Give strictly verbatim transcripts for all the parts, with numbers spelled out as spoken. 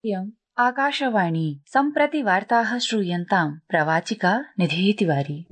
इयम् आकाशवाणी सम्प्रति वार्ताः श्रूयन्ताम् प्रवाचिका निधिः तिवारी।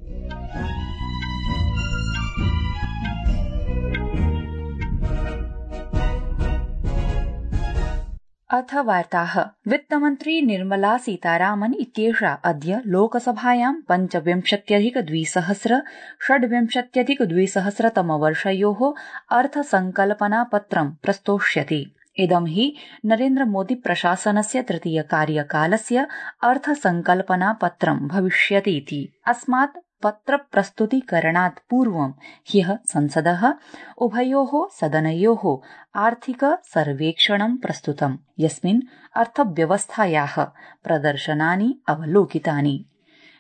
अथ वार्ताः। वित्तमन्त्री निर्मला सीतारामन इत्येषा अद्य लोकसभायां पञ्चविंशत्यधिक द्विसहस्र षड्विंशत्यधिक द्विसहस्रतमवर्षयोः अर्थसंकल्पनापत्रं प्रस्तोष्यति। इदं हि नरेन्द्रमोदी प्रशासनस्य तृतीय कार्यकालस्य अर्थसंकल्पनापत्रं भविष्यतीति। अस्मात् पत्रप्रस्तुतीकरणात् पूर्वं ह्यः संसदः उभयोः सदनयोः आर्थिक सर्वेक्षणं प्रस्तुतम्, यस्मिन् अर्थव्यवस्थायाः प्रदर्शनानि अवलोकितानि।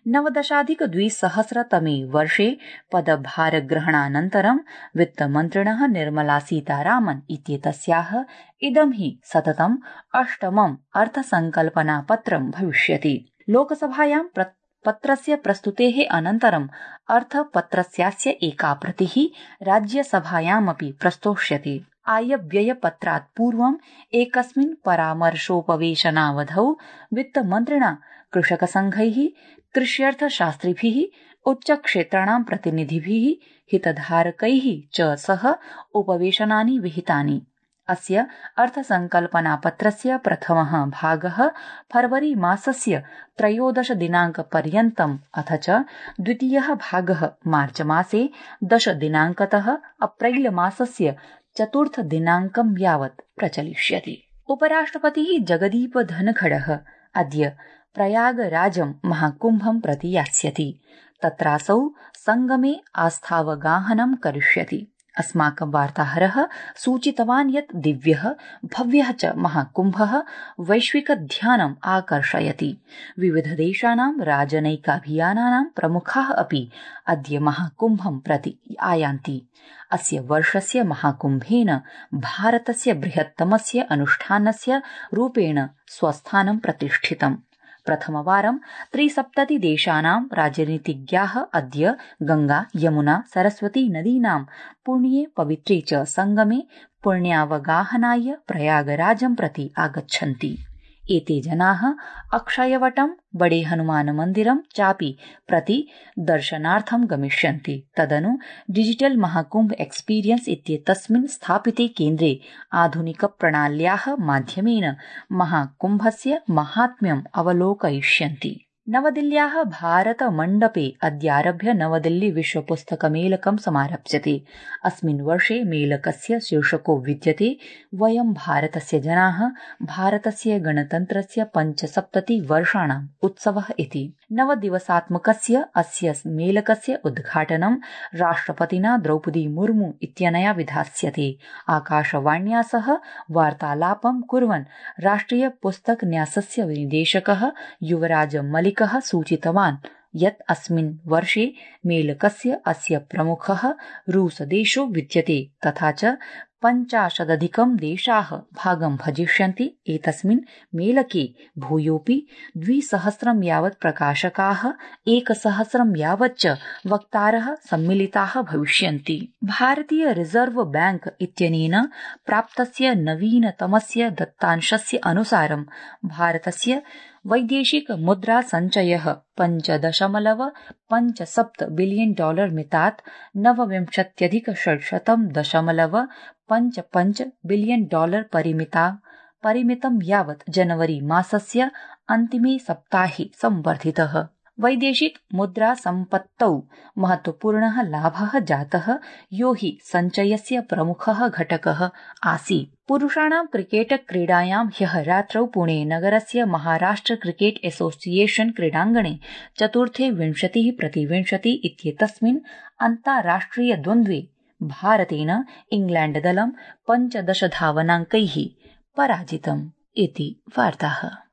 नवदशाधिक द्विसहस्रतमे वर्षे पदभारग्रहणानन्तरं वित्तमन्त्रिणः निर्मला सीतारामन इत्येतस्याः इदं हि सततम् अष्टमम् अर्थसंकल्पनापत्रं भविष्यति। लोकसभायां पत्रस्य प्रस्तुतेः अनन्तरम् अर्थपत्रस्यास्य एका प्रतिः राज्यसभायामपि प्रस्तोष्यति। आयव्ययपत्रात् पूर्वम् एकस्मिन् परामर्शोपवेशनावधौ वित्तमन्त्रिणा कृषकसंघैः, कृष्यर्थशास्त्रिभिः, उच्चक्षेत्राणां प्रतिनिधिभिः, हितधारकैः च सह उपवेशनानि विहितानि। अस्य अर्थसंकल्पनापत्रस्य प्रथमः भागः फरवरी मासस्य त्रयोदश दिनाङ्कपर्यन्तम्, अथ च द्वितीयः भागः मार्च मासे दश दिनाङ्कतः अप्रैल मासस्य चतुर्थ दिनाङ्कं यावत् प्रचलिष्यति। उपराष्ट्रपतिः जगदीप धनखडः अद्य प्रयागराजं महाकुम्भं प्रति यास्यति। तत्रासौ संगमे आस्थावगाहनं करिष्यति। अस्माकं वार्ताहरः सूचितवान् यत् दिव्यः भव्यः च महाकुम्भः वैश्विकध्यानम् आकर्षयति। विविधदेशानां राजनैकाभियानानां प्रमुखाः अपि अद्य महाकुम्भं प्रति आयान्ति। अस्य वर्षस्य महाकुम्भेन भारतस्य बृहत्तमस्य अनुष्ठानस्य रूपेण स्वस्थानं प्रतिष्ठितम्। प्रथमवारं त्रिसप्ततिदेशानां राजनीतिज्ञाः अद्य गंगा, यमुना, सरस्वती नदीनां पुण्ये पवित्रे च संगमे पुण्यावगाहनाय प्रयागराजं प्रति आगच्छन्ति। एते जनाः अक्षयवटं, बडे हनुमान मन्दिरं चापि प्रति दर्शनार्थं गमिष्यन्ति। तदनु डिजिटल महाकुम्भ एक्सपीरियन्स इत्येतस्मिन् स्थापिते केन्द्रे आधुनिकप्रणाल्याः माध्यमेन महाकुम्भस्य माहात्म्यम् अवलोकयिष्यन्ति। नवदिल्ल्याः भारतमण्डपे अद्यारभ्य नवदिल्ली विश्वपुस्तकमेलकं समारप्स्यते। अस्मिन् वर्षे मेलकस्य शीर्षको विद्यते वयं भारतस्य जनाः, भारतस्य गणतन्त्रस्य पञ्चसप्ततिवर्षाणाम् उत्सवः इति। नवदिवसात्मकस्य अस्य मेलकस्य उद्घाटनं राष्ट्रपतिना द्रौपदी मुर्मू इत्यनया विधास्यते। आकाशवाण्या सह वार्तालापं कुर्वन् राष्ट्रिय पुस्तक न्यासस्य निदेशकः युवराज मलिक सूचितवान् यत् अस्मिन् वर्षे मेलकस्य अस्य प्रमुखः रूसदेशो विद्यते, तथा च पञ्चाशदधिकं देशाः भागं भजिष्यन्ति। एतस्मिन् मेलके भूयोऽपि द्विसहस्रं यावत् प्रकाशकाः, एकसहस्रं यावच्च वक्तारः सम्मिलिताः भविष्यन्ति। भारतीय रिजर्व बैंक इत्यनेन प्राप्तस्य नवीनतमस्य दत्तांशस्य अनुसारं भारतस्य वैदेशिक मुद्रा सञ्चयः पञ्च दशमलव पञ्च सप्त बिलियन डॉलर मितात् नवविंशत्यधिक षट्शतं दशमलव पञ्च पञ्च बिलियन डॉलर परिमिता परिमितं यावत् जनवरी मासस्य अन्तिमे सप्ताहे संवर्धितः। वैदेशिक मुद्रा सम्पत्तौ महत्वपूर्णः लाभः जातः, यो हि सञ्चयस्य प्रमुखः घटकः आसीत्। पुरुषाणां क्रिकेट क्रीडायां ह्यः रात्रौ पुणे नगरस्य महाराष्ट्र क्रिकेट एसोसिएशन क्रीडाङ्गणे चतुर्थे विंशतिः प्रति विंशति इत्येतस्मिन् अन्ताराष्ट्रिय द्वन्द्वे भारतेन इंग्लैण्ड दलं पञ्चदश धावनाङ्कैः पराजितम् इति वार्ताः।